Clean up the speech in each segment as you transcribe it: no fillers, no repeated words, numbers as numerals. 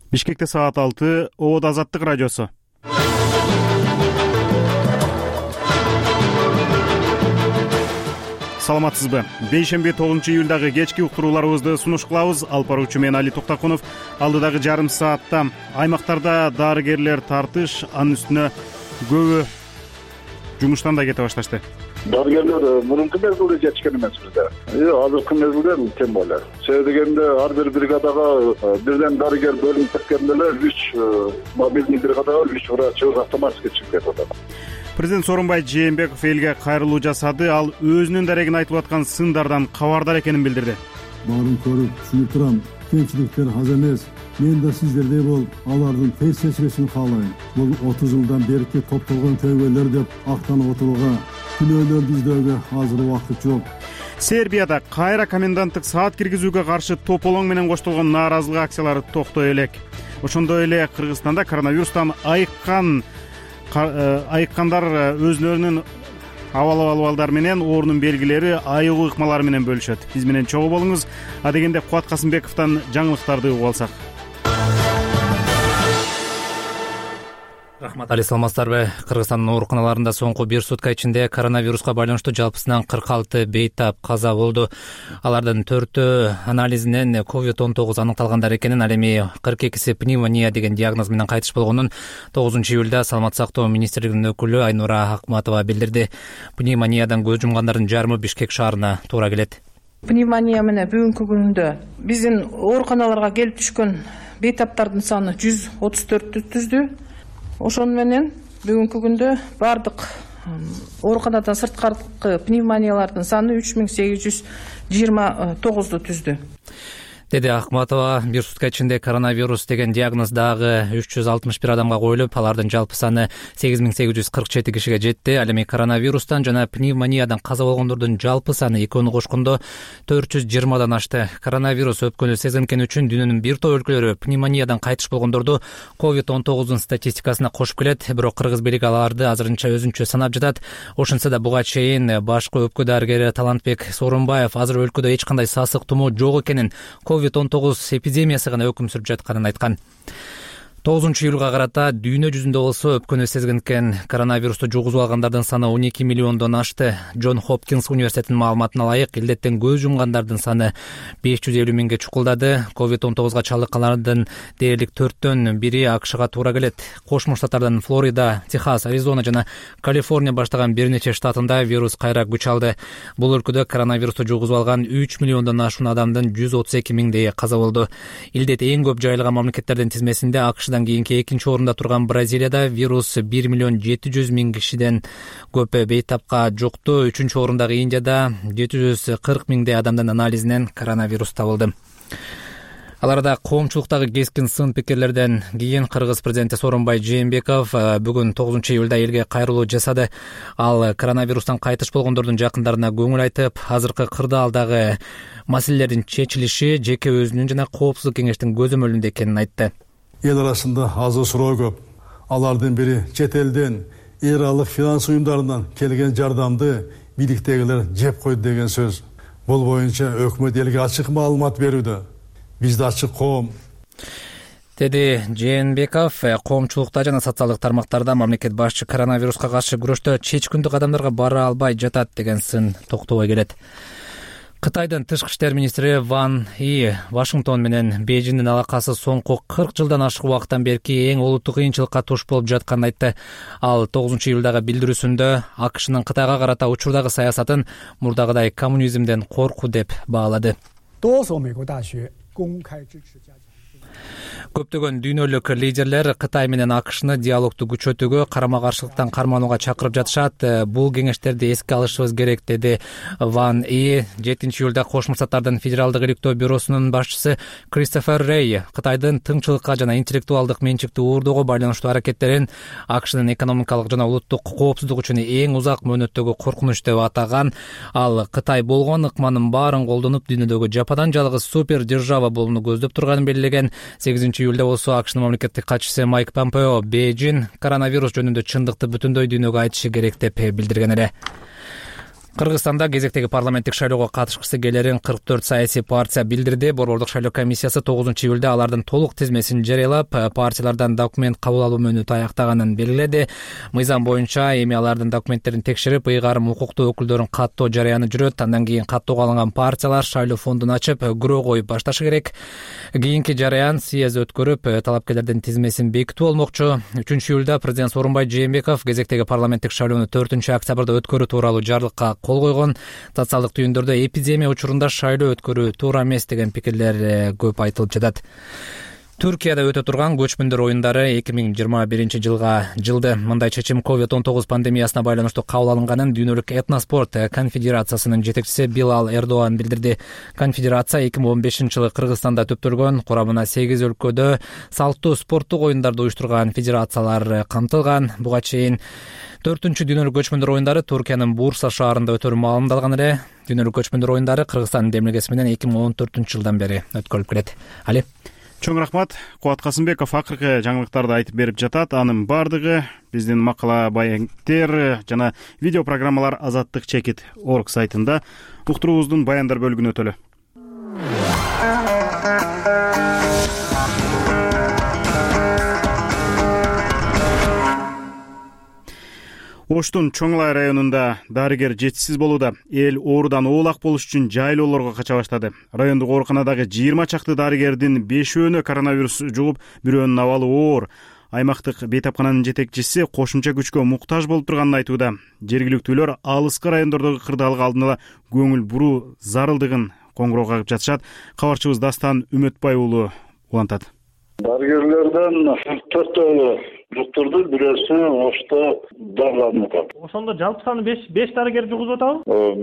Бишкекте саат 6, Обод Азаттык радиосу. Саламатсызбы? Бейшемби 9-июлдагы кечки уктурууларыбызды сунуш кылабыз. Алып баруучу мен Али Токтакунов. Алдыдагы жарым саатта аймактарда дарыгерлер тартыш, анын үстүнө көбү жумуштан да кете башташты. Дарыгерлер мурунку мезгилде жетишкен эмес бизде. Азыркы мезгилде тем более. Себеби дегенде ар бир бригадага бирден дарыгер бөлүнүп кеткенде эле 3 мобильный бригадага 3 врачыбыз автоматически чыгып кетип атат. Президент Сооронбай Жээнбеков элге кайрылуу жасады. Ал өзүнүн дарегин айтып аткан сындардан кабардар экенин билдирди. Баарын көрүп, түшүнүп турам. Кемчиликтер аз эмес. Мен да сиздердей болуп, алардын тез чечилишин каалайм. Бул 30 жылдан берки топтолгон көйгөйлөр деп актанып отурууга, күнөөлөрдү издөөгө азыр убакыт жок. Сербияда кайра коменданттык саат киргизүүгө каршы тополоң менен коштолгон нааразылык акциялары токтой элек. Ошондой эле Кыргызстанда коронавирустан айыккандар өзлөрүнүн абал менен оорунун белгилери, айыгуу ыкмалары менен бөлүшөт. Биз менен чогуу болуңуз. Адегенде Кубат Касымбековдон жаңылыктарды угуп алсак. Рахмат, Али, саламатсыздарбы? Кыргызстандын ооруканаларында соңку 1 сутка ичинде коронавируска байланыштуу жалпысынан 46 бейтап каза болду. Алардын 4-өө анализинен COVID-19 аныкталгандар экенин, ал эми 42си пневмония деген диагноз менен кайтыш болгонун 9-июлда Саламаттык сактоо министрлигинин өкүлү Айнура Акматова билдирди. Пневмониядан көз жумгандардын жарымы Бишкек шаарына туура келет. Пневмония менен бүгүнкү күндө биздин ооруканаларга келип түшкөн бейтаптардын саны 134 түздү. Ошону менен бүгүнкү күндө бардык ооруканадан сырткаркы пневмониялардын саны 3829 түздү. Деди Акматова. 1 сутка ичинде коронавирус деген диагноз дагы 361 адамга коюлуп, алардын жалпы саны 8847 кишиге жетти. Ал эми коронавирустан жана пневмониядан каза болгондордун жалпы саны экөөнү кошкондо 420дан ашты. Коронавирус өпкөнү сезилген үчүн дүйнөнүн бир топ өлкөлөрү пневмониядан кайтыш болгондорду COVID-19 статистикасына кошуп келет. Бирок кыргыз бийлиги аларды азырынча өзүнчө санап жатат. Ошентсе да буга чейин башкы өпкө дарыгери Талантбек Сооронбаев азыр өлкөдө эч кандай сасык тумоо жок экенин, COVID-19 эпидемиясы гана өкүм сүрүп жатканын айткан. 9-июлга карата дүйнө жүзүндө болсо өпкөнү сезгенкен коронавирусту жугузуп алгандардын саны 12 миллиондон ашты. Джон Хопкинс университетинин маалыматына ылайык, илдеттен көз жумгандардын саны 550 миңге чукулдады. COVID-19га чалдыккандардын дээрлик 4төн 1 АКШга туура келет. Кошмо Штаттардан Флорида, Техас, Аризона жана Калифорния баштаган бир нече штатында вирус кайра күч алды. Бул өлкөдө коронавирусту жугузуп алган 3 миллиондон ашуун адамдын 132 миңдейи каза болду. Илдет эң көп жайылган мамлекеттердин тизмесинде АКШдан кийинки экинчи орунда турган Бразилияда вирус 1 миллион 700 миң кишиден көп бейтапка жукту. 3-чү орундагы Индияда 740 миңдей адамдын анализинен коронавирус табылды. Аларда коомчулуктагы кескин сын пикирлерден кийин Кыргыз президенти Сооронбай Жээнбеков бүгүн 9-июлда элге кайрылуу жасады. Ал коронавирустан кайтыш болгондордун жакындарына көңүл айтып, азыркы кырдаалдагы маселелердин чечилиши жеке өзүнүн жана коопсуздук кеңештин көзөмөлүндө экенин айтты. Эл арасында азыр суроо көп. Алардын бири чет элден эралык финанс уюмдарынан келген жардамды бийликтегилер жеп койду деген сөз. Бул боюнча өкмөт элге ачык маалымат берүүдө. Бизде ачык коом. Деди Жээнбеков. Коомчулукта жана социалдык тармактарда мамлекет башчы коронавируска каршы күрөштө чечкүндү кадамдарга бара албай жатат деген сын токтобой келет. Кытайдын тышкы иштер министри Ван И Вашингтон менен Бейжиңдин алакасы соңку 40 жылдан ашык убакыттан берки эң олуттуу кыйынчылыкка туш болуп жатканын айтты. Ал 9-июлдагы билдирүүсүндө АКШнын Кытайга карата учурдагы саясатын мурдагыдай коммунизмден коркуу деп баалады. Көптөгөн дүйнөлүк лидерлер Кытай менен АКШны диалогду күчөтүүгө, карама-каршылыктан карманууга чакырып жатышат. Бул кеңештерди эске алышыбыз керек, деди Ван И. 7-июлда Кошмо Штаттардын Федералдык иликтөө бюросунун башчысы Кристофер Рей Кытайдын тыңчылыкка жана интеллектуалдык менчикти уурдоого байланыштуу аракеттерин АКШнын экономикалык жана улуттук коопсуздук үчүн эң узак мөөнөттөгү коркунуч деп атаган. Ал Кытай болгон ыкманын баарын колдонуп, дүйнөдөгү жападан жалгыз супер держава болууну көздөп турганын белгилеген. 8-июлда болсо АКШнын мамлекеттик катчысы Майк Помпео Бейжиң коронавирус жөнүндө чындыкты бүтүндөй дүйнөгө айтышы керек деп билдирген эле. Кыргызстанда кезектеги парламенттик шайлоого катышкысы келерин 44 саясий партия билдирди. Борбордук шайлоо комиссиясы 9-июлда алардын толук тизмесин жарыялап, партиялардан документ кабыл алуу мөөнөтү аяктаганын белгиледи. Мыйзам боюнча эми алардын документтерин текшерип, ыйгарым укуктуу өкүлдөрүн каттоо жарыяны жүрөт. Андан кийин каттоого алынган партиялар шайлоо фондун ачып, күрөө коюп башташы керек. Кийинки жарыян съезд өткөрүп, талапкерлердин тизмесин бекитүү болмокчу. 3-июлда президент Сооронбай Жээнбеков кезектеги парламенттик шайлоону 4-октябрда өткөрүү тууралуу жарлыкка кол койгон. Социалдык түйүндөрдө эпидемия учурунда шайлоо өткөрүү туура эмес деген пикирлер көп айтылып жатат. Түркияда өтө турган көчмөндөр оюндары 2021 жылды. Мындай чечим COVID-19 пандемиясына байланыштуу кабыл алынганын Дүйнөлүк этноспорт конфедерациясынын жетекчиси Билал Эрдоан билдирди. Конфедерация 2015 жылы Кыргызстанда төптөлгөн, курамына 8 өлкөдө салттуу спорттук оюндарды уюштурган федерациялар камтылган. Буга чейин 4-дүйнөлүк көчмөндөр оюндары Туркиянын Бурса шаарында өтөрү маалымдалган эле. Дүйнөлүк көчмөндөр оюндары Кыргызстандын демилгеси менен 2014 жылдан бери өткөрүлүп келет. Али Чоң рахмат. Кубат Касымбеков акыркы жаңылыктарды айтып берип жатат. Анын бардыгы биздин макала баяндер жана видео программалар azattik.org сайтында. Уктуруубуздун баяндар бөлүгүнө өтөлү. Оштун Чоңлай районунда дарыгер жетишсиз болууда. Эл оорудан оолак болуш үчүн жайлоолорго кача баштады. Райондук ооруканадагы 20 чакты дарыгердин 5-өөнө коронавирус жугуп, бирөөнүн абалы оор. Аймактык бейтапкананын жетекчиси кошумча күчкө муктаж болуп турганын айтууда. Жергиликтүүлөр алыскы райондордогу кырдаалга алдын ала көңүл буруу зарылдыгын коңгуроо кагып жатышат. Кабарчыбыз Дастан Үмөтбай уулу улантат. Дарыгерлерден 4 жуктурду, бирөөсү Ошто дарыланып атат. Ошондо жалпы саны 5 дарыгер жугузуп атабы?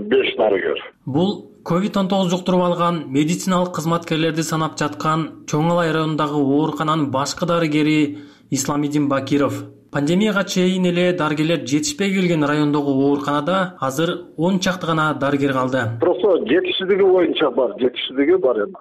5 дарыгер. Бул COVID-19 жуктуруп алган медициналык кызматкерлерди санап жаткан Чоңалай районундагы оорукананын башкы дарыгери Исламидин Бакиров. Пандемияга чейин эле дарыгерлер жетишпей келген райондогу ооруканада азыр 10 чакты гана дарыгер калды. Просто жетишсиздиги боюнча жетишсиздиги бар эми.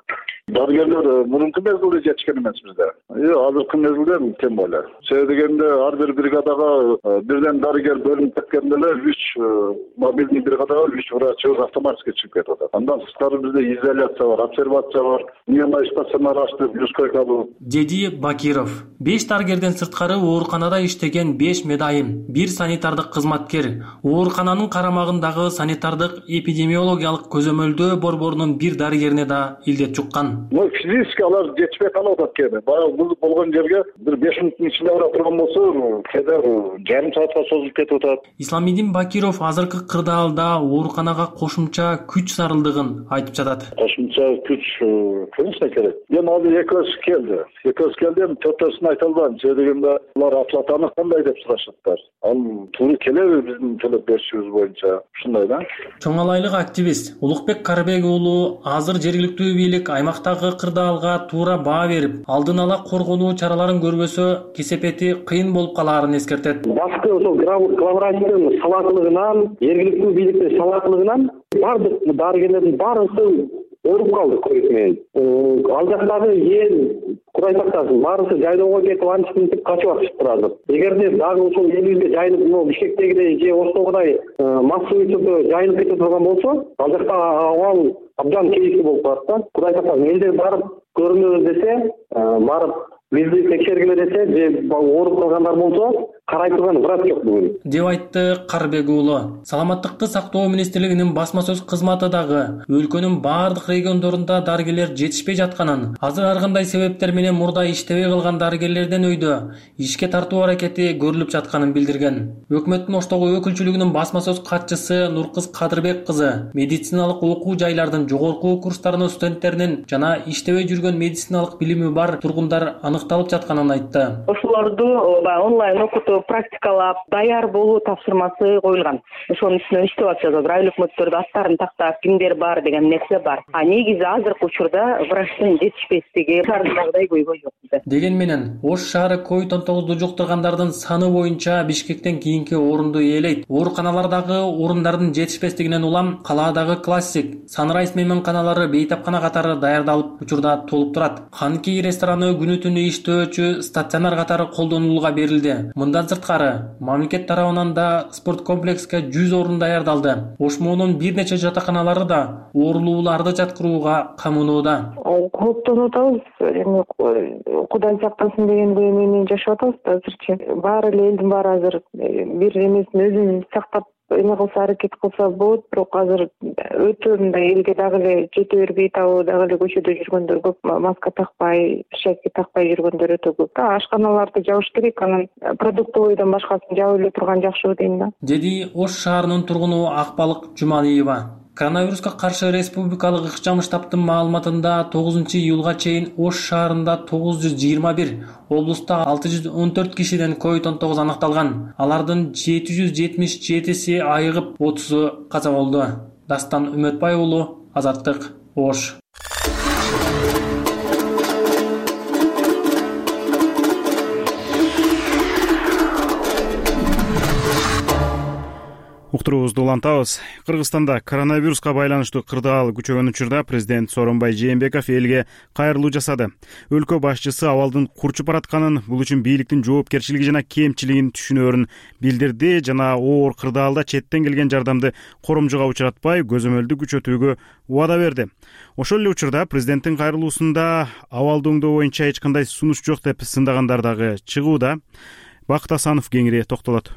Дарыгерлер мурунку мезгилде жетишкен эмес бизде. Азыркы мезгилде тем более. Себеби дегенде ар бир бригадага бирден дарыгер бөлүнүп кеткенде эле 3 мобильный бригадага 3 врачыбыз автоматически чыгып кетип атат. Андан тышкары бизде изоляция бар, обсервация бар, дневной стационар ачтык, плюс койка. Деди Бакиров. 5 дарыгерден сырткары ооруканада иштеген 5 медайым, 1 санитардык кызматкер, оорукананын карамагындагы санитардык эпидемиологиялык көзөмөлдөө борборунун 1 дарыгерине да илдет жуккан. Физически алар жетишпей калып атат кээде. Баягы бул болгон жерге бир 5 мүнөттүн ичинде бара турган болсо, кээде жарым саатка созулуп кетип атат. Исламидин Бакиров азыркы кырдаалда ооруканага кошумча күч зарылдыгын айтып жатат. Кошумча күч конечно керек. Эми азыр экөөсү келди. Эми 4-өсүн айта албайм. Себеби дегенде алар оплатаны кандай деп сурашаттар. Ал туура келеби биздин төлөп беришибиз боюнча? Ушундай да. Чоңалайлык активист Улукбек Карыбек уулу азыр жергиликтүү бийлик аймактагы кырдаалга туура баа берип, алдын ала коргонуу чараларын көрбөсө, кесепети кыйын болуп калаарын эскертет. Башкы ошол главврачтын салаатылыгынан, жергиликтүү бийликтин салаатылыгынан бардык дарыгерлердин баарысы ооруп калды ковид менен. Ал жактагы эл курайтактасын баарысы жайлоого кетип антип качып атышыптыр азыр. Эгерде дагы ошол элибизге жайылып, Бишкектегидей же Оштогудой массовый түрдө жайылып кете турган болсо, ал жакта абал абдан кейиктүү болуп калат да. Курайтактасын элдер барып көрүнөбүз десе, барып бизди текшергиле десе, же ооруп калгандар болсо, карай турган врач жок бүгүн, деп айтты Карыбек уулу. Саламаттыкты сактоо министрлигинин басма сөз кызматы дагы өлкөнүн баардык региондорунда дарыгерлер жетишпей жатканын, азыр ар кандай себептер менен мурда иштебей калган дарыгерлерден өйдө ишке тартуу аракети көрүлүп жатканын билдирген. Өкмөттүн Оштогу өкүлчүлүгүнүн басма сөз катчысы Нуркыз Кадырбек кызы медициналык окуу жайлардын жогорку курстарынын студенттеринин жана иштебей жүргөн медициналык билими бар тургундар аныкталып жатканын айтты. Ошолорду онлайн окутуп, практикалап, даяр болуу тапшырмасы коюлган. Ошонун үстүнөн иштеп атышат. Айыл өкмөттөрдө аттарын тактап, кимдер бар деген нерсе бар. Негизи азыркы учурда врачтын жетишпестиги шаардагыдай көйгөй жок bizde. Деген менен Ош шаары COVID-19 жуктургандардын саны боюнча Бишкектен кийинки орунду ээлейт. Ооруканалардагы орундардын жетишпестигинен улам калаадагы классик Санрайз мейманканалары бейтапкана катары даярдалып учурда толуп турат. Ханки рестораны күнү-түнү иштөөчү стационар катары колдонулууга берилди. Мындан Андан сырткары мамлекет тарабынан да спорт комплекске 100 орун даярдалды. Ошмонун бир нече жатаканалары да оорулууларды жаткырууга камынууда. Кооптонуп атабыз. Эми Кудай сактасын деген менен жашап атабыз азырчы. Баары эле элдин баары азыр бир эмесин өзүн сактап эме кылса, аракет кылса болот, бирок азыр өтө мындай элге дагы эле жете бербей атабы, дагы эле көчөдө жүргөндөр көп, маска такпай, перчатка такпай жүргөндөр өтө көп. Ашканаларды жабыш керек, анан продуктовойдон башкасын жабып эле турган жакшы дейм да. Деди Ош шаарынын тургуну Акбалык Жумалиева. Коронавируска каршы республикалык ыкчам штабтын маалыматында 9-июлга чейин Ош шаарында 921, облуста 614 кишиден COVID-19 аныкталган. Алардын 777си айыгып, 30-у каза болду. Дастан Үмөтбай уулу, Азаттык, Ош. Уктуруубузду улантабыз. Кыргызстанда коронавируска байланыштуу кырдаал күчөгөн учурда президент Сооронбай Жээнбеков элге кайрылуу жасады. Өлкө башчысы абалдын курчуп баратканын, бул үчүн бийликтин жоопкерчилиги жана кемчилигин түшүнөөрүн билдирди жана оор кырдаалда четтен келген жардамды коромжуга учуратпай, көзөмөлдү күчөтүүгө убада берди. Ошол эле учурда президенттин кайрылуусунда абалды оңдоо боюнча эч кандай сунуш жок деп сындагандар дагы чыгууда. Бакыт Асанов кеңири токтолот.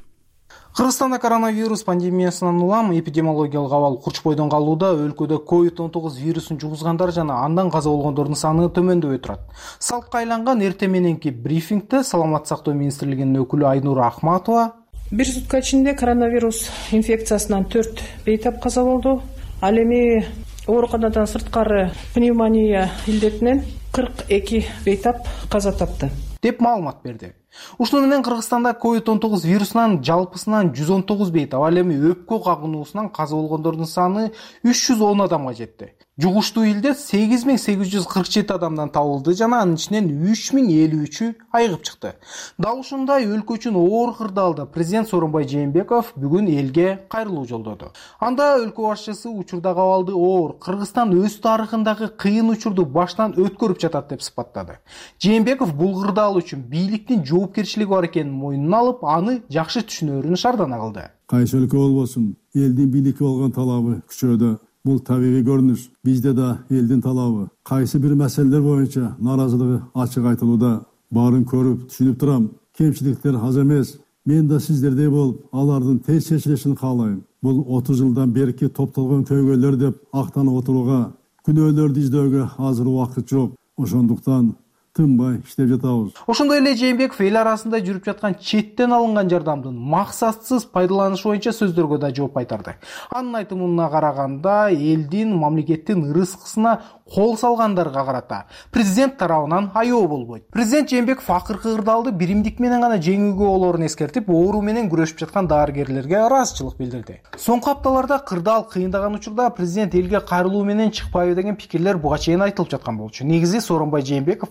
Кыргызстанда коронавирус пандемиясынан улам эпидемиологиялык абал курчпойдон калууда. Өлкөдө COVID-19 вирусун жугузгандар жана андан каза болгондордун саны төмөндөбөй турат. Салкка айланган эртең мененки брифингде Саламаттык сактоо министрлигинин өкүлү Айнура Ахматова бир сутка ичинде коронавирус инфекциясынан 4 бейтап каза болду. Ал эми ооруканадан сырткары пневмония илдетинен 42 бейтап каза тапты деп маалымат берди. Ушуну менен Кыргызстанда COVID-19 вирусунан жалпысынан 119 бейтап, ал эми өпкө кагынуусунан каза болгондордун саны 310 адамга жетти. Жугуштуу илдет 8847 адамдан табылды жана анын ичинен 3053-ү айыгып чыкты. Дал ушундай өлкө үчүн оор кырдаалда президент Сооронбай Жээнбеков бүгүн элге кайрылуу жолдоду. Анда өлкө башчысы учурдагы абалды оор, Кыргызстан өз тарыхындагы кыйын учурду баштан өткөрүп жатат деп сыпаттады. Жээнбеков бул кырдаал үчүн бийликтин жоопкерчилиги бар экенин мойнуна алып, аны жакшы түшүнөөрүн шаардана кылды. Кайсы өлкө болбосун, элдин бийликке болгон талабы күчөдө. Бул табигый көрүнүш. Бизде да элдин талабы. Кайсы бир маселелер боюнча наразылыгы ачык айтылууда. Баарын көрүп, түшүнүп турам. Кемчиликтер аз эмес. Мен да сиздердей болуп, алардын тез чечилишин каалайм. Бул 30 жылдан берки топтолгон көйгөйлөр деп актанып отурууга, күнөөлөрдү издөөгө азыр убакыт жок. Ошондуктан тынбай иштеп жатабыз. Ошондой эле Жээнбеков эл арасында жүрүп жаткан четтен алынган жардамдын максатсыз пайдаланышы боюнча сөздөргө да жооп кайтарды. Анын айтымына караганда, элдин, мамлекеттин ырыскысына кол салгандарга карата президент тарабынан аябоо болбойт. Президент Жээнбеков акыркы кырдаалды биримдик менен гана жеңүүгө болоорун эскертип, оору менен күрөшүп жаткан дарыгерлерге ыраазычылык билдирди. Соңку апталарда кырдаал кыйындаган учурда президент элге кайрылуу менен чыкпайбы деген пикирлер буга чейин айтылып жаткан болчу. Негизи Сооронбай Жээнбеков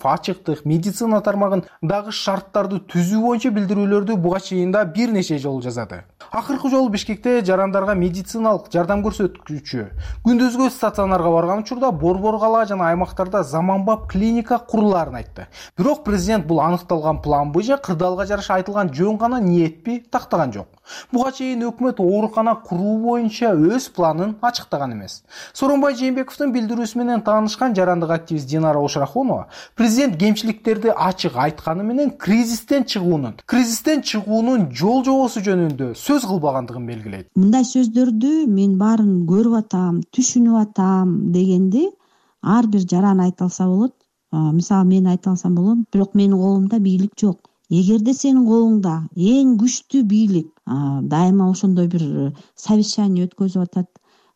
медицина тармагын дагы шарттарды түзүү боюнча билдирүүлөрдү буга чейин да бир нече жолу жасады. Акыркы жолу Бишкекте жарандарга медициналык жардам көрсөткүчү күндүзгү стационарга барган учурда борбор кала жана аймактарда заманбап клиника курулаарын айтты. Бирок президент бул аныкталган планбы же кырдаалга жараша айтылган жөн гана ниетпи тактаган жок. Буга чейин өкмөт оорукана куруу боюнча өз планын ачыктаган эмес. Сооронбай Жээнбековдун билдирүүсү менен таанышкан жарандык активист Динара Ошрахунова президент кемчиликтерди ачык айтканы менен кризистен чыгуунун жол жобосу жөнүндө сөз кылбагандыгын белгилейт. Мындай сөздөрдү мен баарын көрүп атам, түшүнүп атам дегенди ар бир жаран айта алса болот. Мисалы мен айта алсам болот, бирок менин колумда бийлик жок. Эгерде сенин колуңда эң күчтүү бийлик дайыма ошондой бир совещание өткөзүп атат,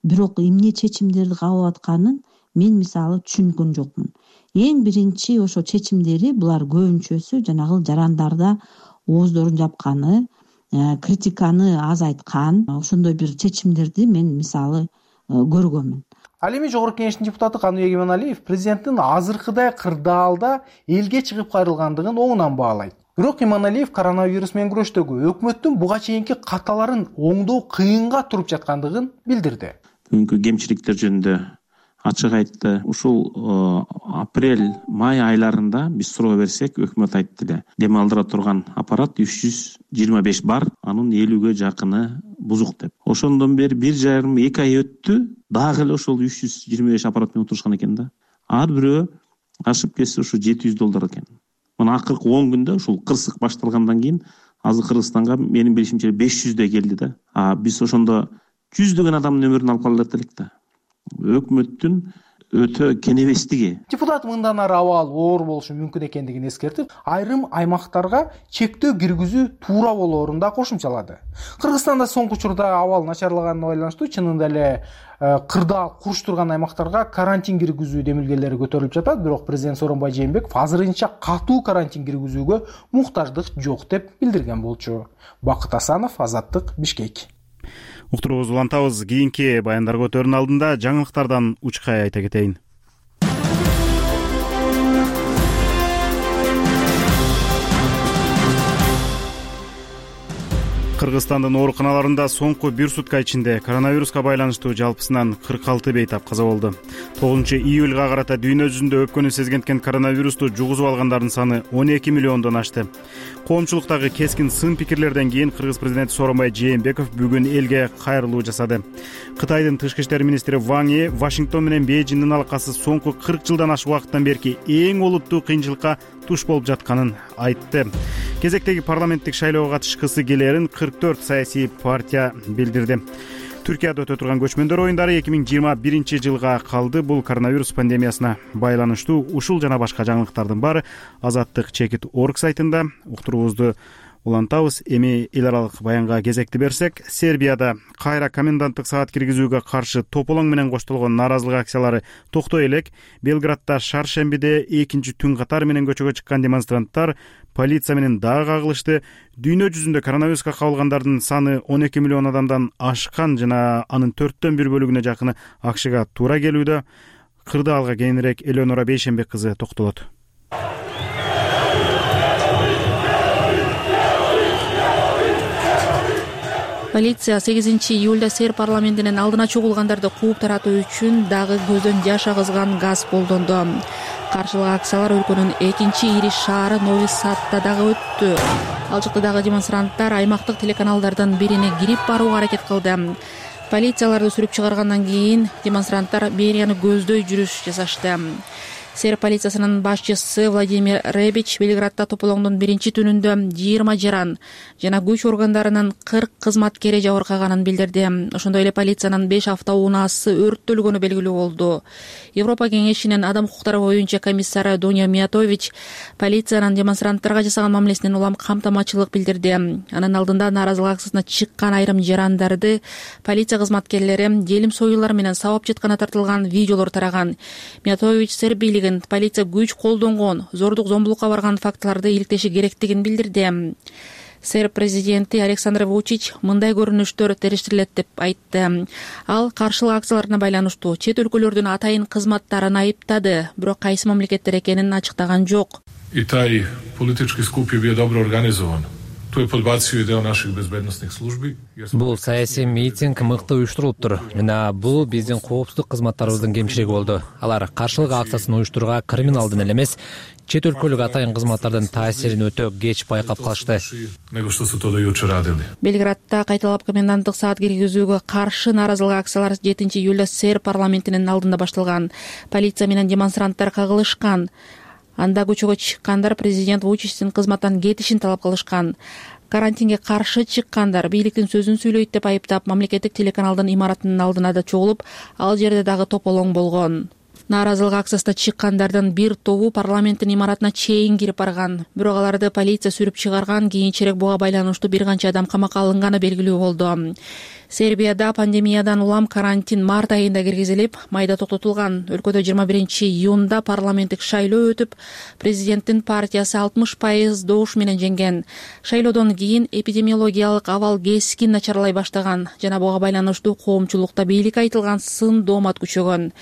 бирок эмне чечимдерди кабыл атканын мен мисалы түшүнгөн жокмун. Эң биринчи ошо чечимдери булар көбүнчөсү жанагы жарандарда ооздорун жапканы, критиканы азайткан ошондой бир чечимдерди мен мисалы көргөнмүн. Ал эми Жогорку Кеңештин депутаты Каныбек Эманалиев президенттин азыркыдай кырдаалда элге чыгып кайрылгандыгын оңунан баалайт. Бирок Эманалиев коронавирус менен күрөштөгү өкмөттүн буга чейинки каталарын оңдоо кыйынга туруп жаткандыгын билдирди. Бүгүнкү кемчиликтер жөнүндө ачык айтты. Ушул апрель, май айларында биз суроо берсек, өкмөт айтты эле, дем алдыра турган аппарат 325 бар, анын 50ге жакыны бузук деп. Ошондон бери 1,5-2 ай өттү, дагы эле ошол 325 аппарат менен отурушкан экен да. Ар бирөө ашып кетсе ушу $700 экен. Мына акыркы 10 күндө ушул кырсык башталгандан кийин азыр Кыргызстанга менин билишимче 500 келди да. Биз ошондо жүздөгөн адамдын өмүрүн алып калат элек да. Өкмөттүн өтө кенебестиги. Депутат мындан ары абал оор болушу мүмкүн экендигин эскертип, айрым аймактарга чектөө киргизүү туура болоорун да кошумчалады. Кыргызстанда соңку учурда абал начарлаганына байланыштуу чынында эле кырдаал куруштурган аймактарга карантин киргизүү демилгелери көтөрүлүп жатат, бирок президент Сооронбай Жээнбеков азырынча катуу карантин киргизүүгө муктаждык жок деп билдирген болчу. Бакыт Асанов, Азаттык, Бишкек. Уктуруубузду улантабыз. Кийинки баяндарга өтөрүнүн алдында жаңылыктардан учкай айта кетейин. Кыргызстандын ооруканаларында соңку 1 сутка ичинде коронавируска байланыштуу жалпысынан 46 бейтап каза болду. 9-июлга карата дүйнө жүзүндө өпкөнү сезгенткен коронавирусту жугузуп алгандардын саны 12 миллиондон ашты. Коомчулуктагы кескин сын пикирлерден кийин Кыргыз президенти Сооронбай Жээнбеков бүгүн элге кайрылуу жасады. Кытайдын тышкы иштер министри Ван Yi Вашингтон менен Бейжиңдин алакасы соңку 40 жылдан ашык убакыттан берки эң олуттуу кыйынчылыкка туш болуп жатканын айтты. Кезектеги парламенттик шайлоого катышкысы келерин 44 саясий партия билдирди. Түркияда өтө турган көчмөндөр оюндары 2021 жылга калды. Бул коронавирус пандемиясына байланыштуу. Ушул жана башка жаңылыктардын баары Азаттык чекит орг сайтында. Уктуруубузду улантабыз. Эми эл аралык баянга кезекти берсек, Сербияда кайра коменданттык саат киргизүүгө каршы тополоң менен коштолгон нааразылык акциялары токтой элек. Белградда шаршембиде экинчи түн катары менен көчөгө чыккан демонстранттар полиция менен дагы кагылышты. Дүйнө жүзүндө коронавируска кабылгандардын саны 12 миллион адамдан ашкан жана анын 4/1 бөлүгүнө жакыны АКШга туура келүүдө. Кырдаалга кийинирээк Элеонора Бейшембек кызы токтолот. Полиция 8-июлда Серб парламентинин алдына чогулгандарды кууп таратуу үчүн дагы көздөн жаш агызган газ колдонду. Каршылык акциялар өлкөнүн экинчи ири шаары Нови Садда дагы өттү. Ал жакта дагы демонстранттар аймактык телеканалдардын бирине кирип барууга аракет кылды. Полицияларды сүрүп чыгаргандан кийин демонстранттар мэрияны көздөй жүрүш жасашты. Серб полициясынын башчысы Владимир Ребич Белградда тополоңдун биринчи түнүндө 20 жаран жана күч органдарынын 40 кызматкери жабыркаганын билдирди. Ошондой эле полициянын 5 автоунаасы өрттөлгөнү белгилүү болду. Европа кеңешинин адам укуктары боюнча комиссары Доня Миятович полициянын демонстранттарга жасаган мамилесинен улам камтамачылык билдирди. Анын алдында нааразылык акциясына чыккан айрым жарандарды полиция кызматкерлери желим союлар менен сабап жатканы тартылган видеолор тараган. Миятович Серб полиция күч колдонгон, зордук зомбулукка барган фактыларды иликтеши керектигин билдирди. Серб президенти Александр Вучич мындай көрүнүштөр териштирилет деп айтты. Ал каршылык акцияларына байланыштуу чет өлкөлөрдүн атайын кызматтарын айыптады, бирок кайсы мамлекеттер экенин ачыктаган жок. И тај политички скуп е био добро организован. Тој подбацио идеја наших безбедносних служби. Бул саясий митинг мыкты уюштурулуптур жана бул биздин коопсуздук кызматтарыбыздын кемчилиги болду. Алар каршылык акциясын уюштурууга криминалдын эле эмес, чет өлкөлүк атайын кызматтардын таасирин өтө кеч байкап калышты. Белградда кайталап коменданттык саат киргизүүгө каршы нааразылык акциялар 7-июлда Серб парламентинин алдында башталган. Полиция менен демонстранттар кагылышкан. Анда көчөгө чыккандар президент Вучичтин кызматтан кетишин талап кылышкан. Карантинге каршы чыккандар бийликтин сөзүн сүйлөйт деп айыптап мамлекеттик телеканалдын имаратынын алдына да чогулуп, ал жерде дагы тополоң болгон. Нааразылык акциясына чыккандардын бир тобу парламенттин имаратына чейин кирип барган. Бирок аларды полиция сүрүп чыгарган, кийинчерээк буга байланыштуу бир канча адам камакка алынганы белгилүү болду. Сербияда пандемиядан улам карантин март айында киргизилип, майда токтотулган. Өлкөдө 21-июнда парламенттик шайлоо өтүп, президенттин партиясы 60% добуш менен жеңген. Шайлоодон кийин эпидемиологиялык абал кескин начарлай баштаган жана буга байланыштуу коомчулукта бийликке айтылган сын доомат күчөгөн.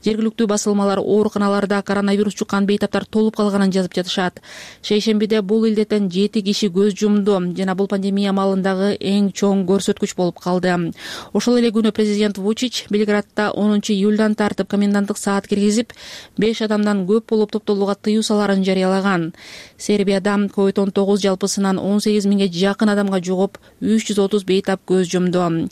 Жергиликтүү басылмалар ооруканаларда коронавирус жуккан бейтаптар толуп калганын жазып жатышат. Шейшембиде бул илдеттен 7 киши көз жумду жана бул пандемия маалындагы эң чоң көрсөткүч болуп калды. Ошол эле күнү президент Вучич Белградда 10 июлдан тартып коменданттык саат киргизип, 5 адамдан көп болуп топтолууга тыюу салаарын жарыялаган. Сербияда COVID-19 жалпысынан 18 миңге жакын адамга жугуп, 330 бейтап көз жумду.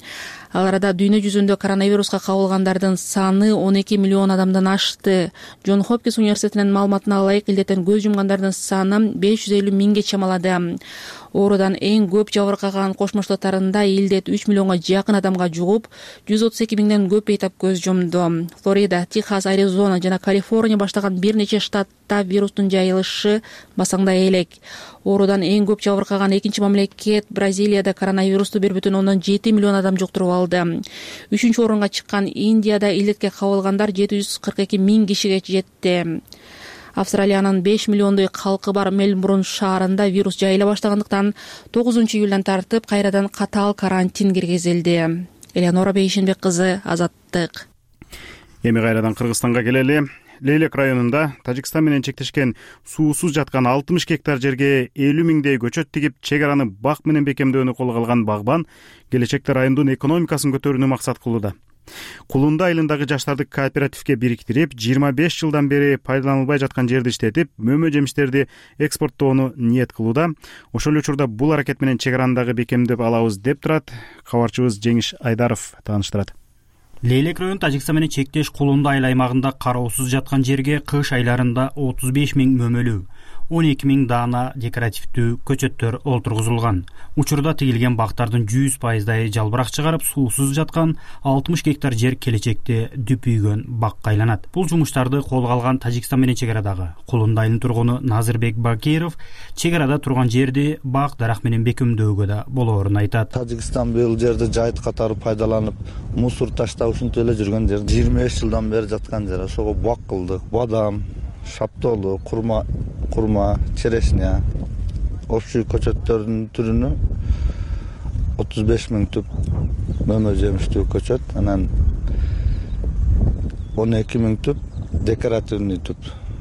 Ал арада дүйнө жүзүндө коронавируска кабылгандардын саны 12 миллион адамдан ашты. Джон Хопкинс университетинин маалыматына ылайык, илдеттен көз жумгандардын саны 550 миңге чамалады. Оорудан эң көп жабыркаган Кошмо Штаттарында илдет 3 миллионго жакын адамга жугуп, 132 миңден көп бейтап көз жумду. Флорида, Техас, Аризона жана Калифорния баштаган бир нече штатта вирустун жайылышы басаңдай элек. Оорудан эң көп жабыркаган экинчи мамлекет Бразилияда коронавирусту 1,7 миллион адам жуктуруп алды. 3-чү орунга чыккан Индияда илдетке кабылгандар 742 миң кишиге жетти. Австралиянын 5 миллиондой калкы бар Мельбурн шаарында вирус жайыла баштагандыктан 9 июлдан тартып кайрадан катаал карантин киргизилди. Элеонора Бейшенбек кызы, Азаттык. Эми кайрадан Кыргызстанга келели. Лейлек районунда Тажикстан менен чектешкен суусуз жаткан 60 гектар жерге 50 миңдей көчөт тигип, чек араны бак менен бекемдөөнү колго алган багбан келечекте райондун экономикасын көтөрүүнү максат кылууда. Кулунда айылындагы жаштарды кооперативге бириктирип, 25 жылдан бери пайдаланылбай жаткан жерди иштетип, мөмө жемиштерди экспорттоону ниет кылууда. Ошол эле учурда бул аракет менен чек арандагы бекемдеп алабыз деп турат. Кабарчыбыз Жеңиш Айдаров тааныштырат. Лейлек район Тажикстан менен чектеш Кулунда айыл аймагында кароосуз жаткан жерге кыш айларында 35 миң мөмөлүү, 12 миң даана декоративдүү көчөттөр олтургузулган. Учурда тигилген бактардын 100% жалбырак чыгарып, суусуз жаткан 60 гектар жер келечекте дүпүйгөн бакка айланат. Бул жумуштарды колго алган Тажикстан менен чек арадагы Кулунда айылынын тургуну Назырбек Бакиров чек арада турган жерди бак дарак менен бекемдөөгө да болоорун айтат. Тажикстан бул жерди жайыт катары пайдаланып, мусор таштап ушинтип эле жүргөн жер. 25 жылдан бери жаткан жер. Ошого бак кылдык. Бадам, шаптоолу, курма, черешня, общий көчөттөрдүн түрүнө 35 миң түп мөмө жемиштүү көчөт, анан 12 миң түп декоративный түп,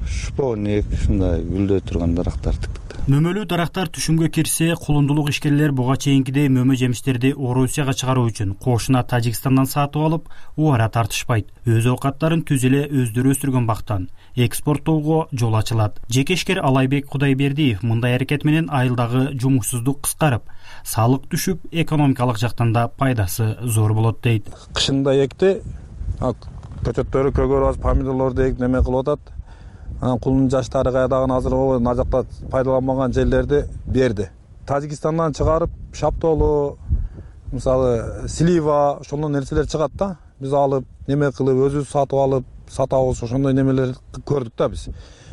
шпоник, ушундай гүлдөй турган дарактар тиктик. Мөмөлүү дарактар түшүмгө кирсе, кулундулук ишкерлер буга чейинкидей мөмө жемиштерди Орусияга чыгаруу үчүн кошуна Тажикстандан сатып алып, убара тартышпайт. Өз оокаттарын түз эле өздөрү өстүргөн бактан экспорттоого жол ачылат. Жекешкер Алайбек Кудайбердиев мындай аракет менен айылдагы жумушсуздук кыскарып, салык түшүп, экономикалык жактан да пайдасы зор болот дейт. Кышында экти, көчөттөрү көгөрүп, помидорлорду эк неме кылып атат. Кулдун жаштары кайдагы азыр мына жакта пайдаланбаган жерлерди берди. Тажикстандан чыгарып, шаптоолу, мисалы слива, ошондой нерселер чыгат да. Биз алып, неме кылып, өзүбүз сатып алып, сатабыз, ошондой немелер көрдүк да биз.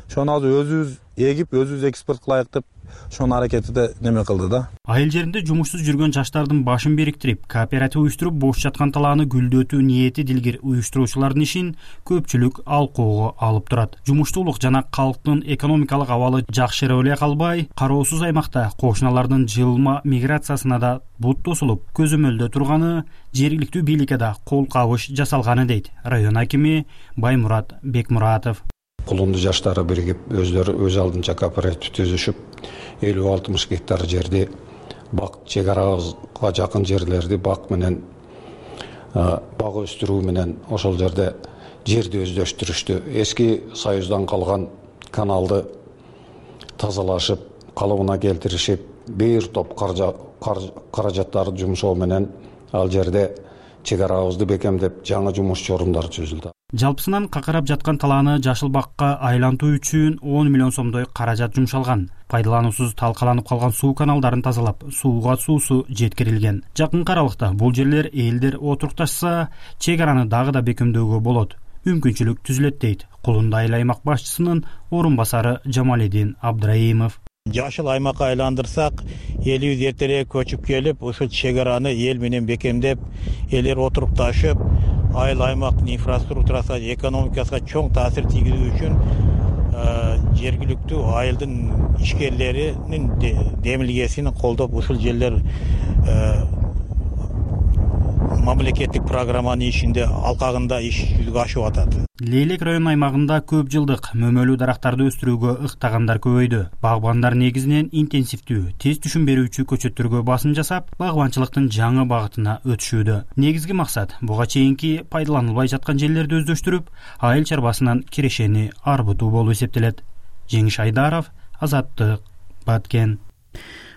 Ошону азыр өзүбүз эгип, өзүбүз экспорт кылайык деп ошонун аракетиде неме кылды да. Айыл жеринде жумушсуз жүргөн жаштардын башын бириктирип, кооператив уюштуруп, бош жаткан талааны гүлдөтүү ниети дилгир уюштуруучулардын ишин көпчүлүк алкоого алып турат. Жумуштуулук жана калктын экономикалык абалы жакшырып эле калбай, кароосуз аймакта кошуналардын жылма миграциясына да бут тосулуп, көзөмөлдө турганы, жергиликтүү бийликке да кол кабыш жасалганы дейт район акими Баймурат Бекмуратов. Кулунду жаштары биригип, өздөрү өз алдынча кооператив түзүшүп, 50-60 гектар жерди бак, чек арага жакын жерлерди бак менен, бак өстүрүү менен ошол жерде жерди өздөштүрүштү. Эски Союздан калган каналды тазалашып, калыбына келтиришип, бир топ каражаттарды жумшоо менен ал жерде чек арабызды бекемдеп, жаңы жумушчу орундар түзүлдү. Жалпысынан какарап жаткан талааны жашыл бакка айлантуу үчүн 10 миллион сомдой каражат жумшалган. Пайдалануусуз талкаланып калган суу каналдарын тазалап, сууга суусу жеткирилген. Жакын аралыкта бул жерлер элдер отурукташса, чек араны дагы да бекемдөөгө болот. Мүмкүнчүлүк түзүлөт дейт Кулунда айыл аймак башчысынын орун басары Жамаледин Абдраимов. Жашыл аймакка айландырсак, элибиз эртерээк көчүп келип, ушул чек араны эл менен бекемдеп, элдер отурукташып, айыл аймактын инфраструктурасына, экономикасына чоң таасир тийгизүү үчүн жергиликтүү айылдын ишкерлеринин демилгесин колдоп, ушул жерлер мамлекеттик программанын ишинде алкагында иш жүзүгө ашып атат. Лейлек район аймагында көп жылдык мөмөлүү дарактарды өстүрүүгө ыктагандар көбөйдү. Багбандар негизинен интенсивдүү, тез түшүм берүүчү көчөттөргө басым жасап, багбанчылыктын жаңы багытына өтүшүүдө. Негизги максат буга чейинки пайдаланылбай жаткан жерлерди өздөштүрүп, айыл чарбасынан кирешени арбытуу болуп эсептелет. Жеңиш Айдаров, Азаттык, Баткен.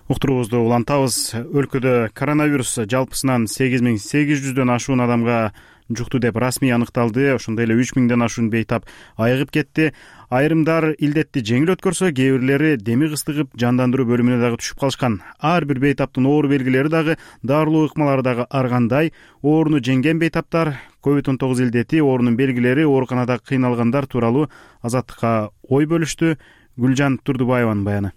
Уктуруубузду улантабыз. Өлкөдө коронавирус жалпысынан 8800дөн ашуун адамга жукту деп расмий аныкталды. Ошондой эле 3000ден ашуун бейтап айыгып кетти. Айрымдар илдетти жеңил өткөрсө, кээ бирлери деми кыстыгып жандандыруу бөлүмүнө дагы түшүп калышкан. Ар бир бейтаптын оору белгилери дагы, дарылоо ыкмалары дагы ар кандай. Ооруну жеңген бейтаптар, COVID-19 илдети, оорунун белгилери, ооруканада кыйналгандар тууралуу Азаттыкка ой бөлүштү. Гүлжан Турдубаеванын баяны.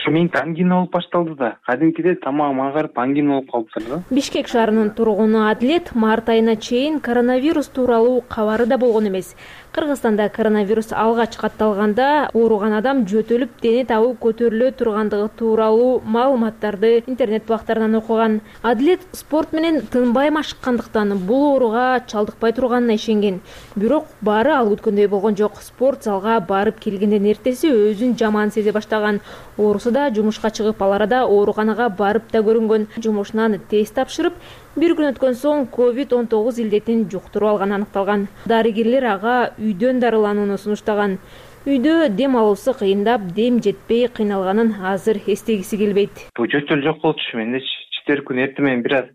Менин ангина болуп башталды да. Кадимкидей тамагым аңгарып ангина болуп калыптыр да. Бишкек шаарынын тургуну Адлет март айына чейин коронавирус тууралуу кабары да болгон эмес. Кыргызстанда коронавирус алгач катталганда ооруган адам жөтөлүп дене табы көтөрүлө тургандыгы тууралуу маалыматтарды интернет бактарынан окуган. Адлет спорт менен тынбай машыккандыктан бул ооруга чалдыкпай турганына ишенген. Бирок баары ал күткөндөй болгон жок. Спорт залга барып келгенден эртеси өзүн жаман сезе баштаган. Оорусу да жумушка чыгып, ал арада ооруканага барып да көрүнгөн. Жумушунан тест тапшырып, бир күн өткөн соң COVID-19 илдетин жуктуруп алганы аныкталган. Дарыгерлер ага үйдөн дарыланууну сунуштаган. Үйдө дем алуусу кыйындап, дем жетпей кыйналганын азыр эстегиси келбейт. Бул жөтөл жок болчу. Менде четверг күнү эртемен бир аз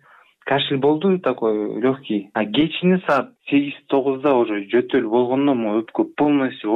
кашель болду, такой легкий. А кечини саат 8-9да уже жөтөл болгондон өпкө полностью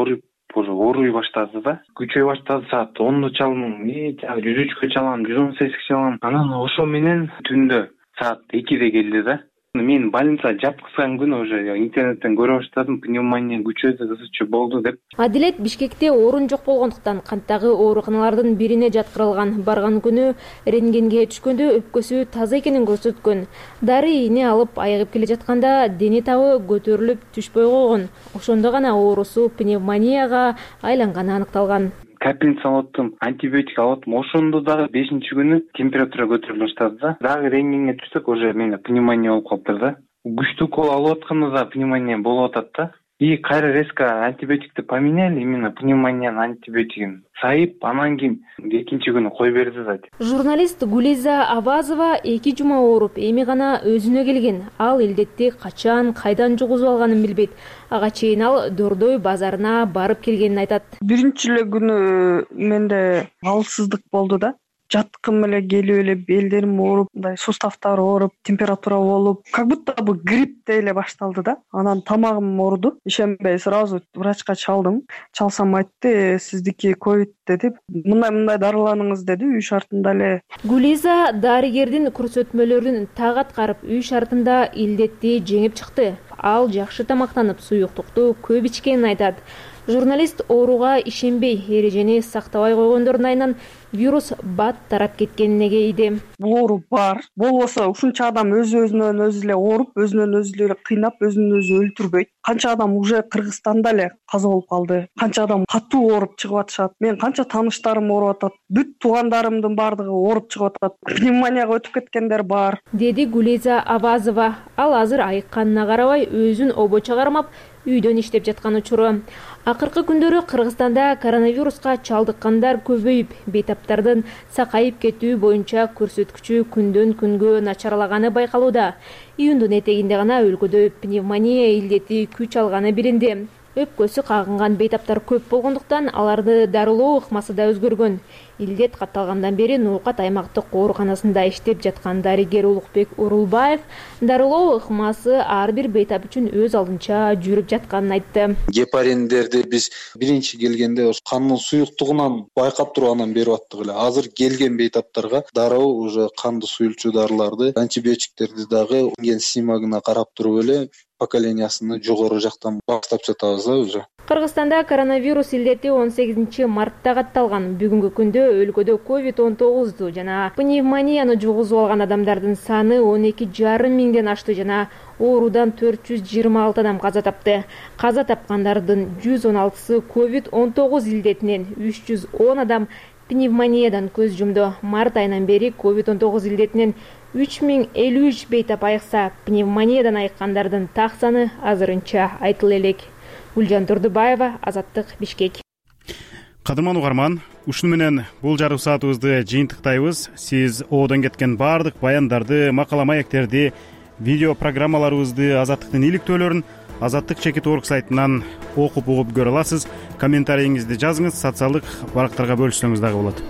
ооруй баштады да. Күчөй баштады. Саат 10 чалдым, 103 чалам, 118 чалам. Анан ошо менен түндө саат 2де келди да. Мен больница жапкызган күнү уже интернеттен көрө баштадым, пневмония күчөдү, ысычы болду деп. Адилет Бишкекте орун жок болгондуктан канттагы ооруканалардын бирине жаткырылган. Барган күнү рентгенге түшкөндө өпкөсү таза экенин көрсөткөн. Дары ийне алып айыгып келе жатканда дене табы көтөрүлүп түшпөй койгон. Ошондо гана оорусу пневмонияга айланганы аныкталган. Капельница алыптым, антибиотик алыптым. Ошондо дагы 5-күнү температура көтөрүлө баштады да. Дагы рентгенге түшсөк, уже менде пневмония болуп калыптыр да. Күчтүү укол алып атканда да пневмония болуп атат да. И кайра резко антибиотикти поменяли, именно пневмониянын антибиотигин сайып, анан кийин экинчи күнү кой берди да. Журналист Гулиза Авазова 2 жума ооруп, эми гана өзүнө келген. Ал илдетти качан, кайдан жугузуп алганын билбейт. Ага чейин ал Дордой базарына барып келгенин айтат. Биринчи эле күнү менде алсыздык болду да. Жаткым эле келип эле белдерим ооруп, мындай суставтар ооруп, температура болуп, как будто бу грипптей эле башталды да. Анан тамагым ооруду. Ишенбей сразу врачка чалдым. Чалсам айтты, сиздики ковид деди. Мындай дарыланыңыз деди үй шартында эле. Гулиза дарыгердин көрсөтмөлөрүн так аткарып, үй шартында илдетти жеңип чыкты. Ал жакшы тамактанып, суюктукту көп ичкенин айтат. Журналист ооруга ишенбей, эрежени сактабай койгондордун айынан вирус бат тарап кеткенине кейди. Бул оору бар. Болбосо ушунча адам өзүнөн өзү эле ооруп, өзүнөн өзү эле кыйнап, өзүн өзү өлтүрбөйт. Канча адам уже Кыргызстанда эле каза болуп калды. Канча адам катуу ооруп чыгып атышат. Мен канча тааныштарым ооруп атат. Бүт туугандарымдын баардыгы ооруп чыгып атат. Пневмонияга өтүп кеткендер бар, деди Гулиза Авазова. Ал азыр айыкканына карабай өзүн обочо кармап, үйдөн иштеп жаткан учуру. Акыркы күндөрү Кыргызстанда коронавируска чалдыккандар көбөйүп, бейтаптардын сакайып кетүү боюнча көрсөткүчү күндөн күнгө начарлаганы байкалууда. Июндун этегинде гана өлкөдө пневмония илдети күч алганы билинди. Өпкөсү кагынган бейтаптар көп болгондуктан аларды дарылоо ыкмасы да өзгөргөн. Илдет катталгандан бери Ноокат аймактык ооруканасында иштеп жаткан дарыгер Улукбек Урулбаев дарылоо ыкмасы ар бир бейтап үчүн өз алдынча жүрүп жатканын айтты. Гепариндерди биз биринчи келгенде кандын суюктугунан байкап тургандан берип аттык эле. Азыр келген бейтаптарга дароо уже канды суюлчу дарыларды, антибиотиктерди дагы ген симагына карап туруп эле поколениясыны жогору жактан баштап жатабыз да уже. Кыргызстанда коронавирус илдети 18 мартта катталган. Бүгүнкү күндө өлкөдө COVID-19 жана пневмонияны жугузуп алган адамдардын саны 12,5 миңден ашты жана оорудан 426 адам каза тапты. Каза тапкандардын 116сы COVID-19 илдетинен, 310 адам пневмониядан көз жумду. Март айынан бери COVID-19 илдетинен 3053 бейтап айыкса, пневмониядан айыккандардын так саны азырынча айтыла элек. Гүлжан Турдубаева, Азаттык, Бишкек. Кадырман угарман, ушуну менен бул жарым саатыбызды жыйынтыктайбыз. Сиз оодон кеткен баардык баяндарды, макала маектерди, видео программаларыбызды, Азаттыктын иликтөөлөрүн Азаттык.org сайтынан окуп угуп көрө аласыз. Комментарийиңизди жазыңыз, социалдык барактарга бөлүшсөңүз дагы болот.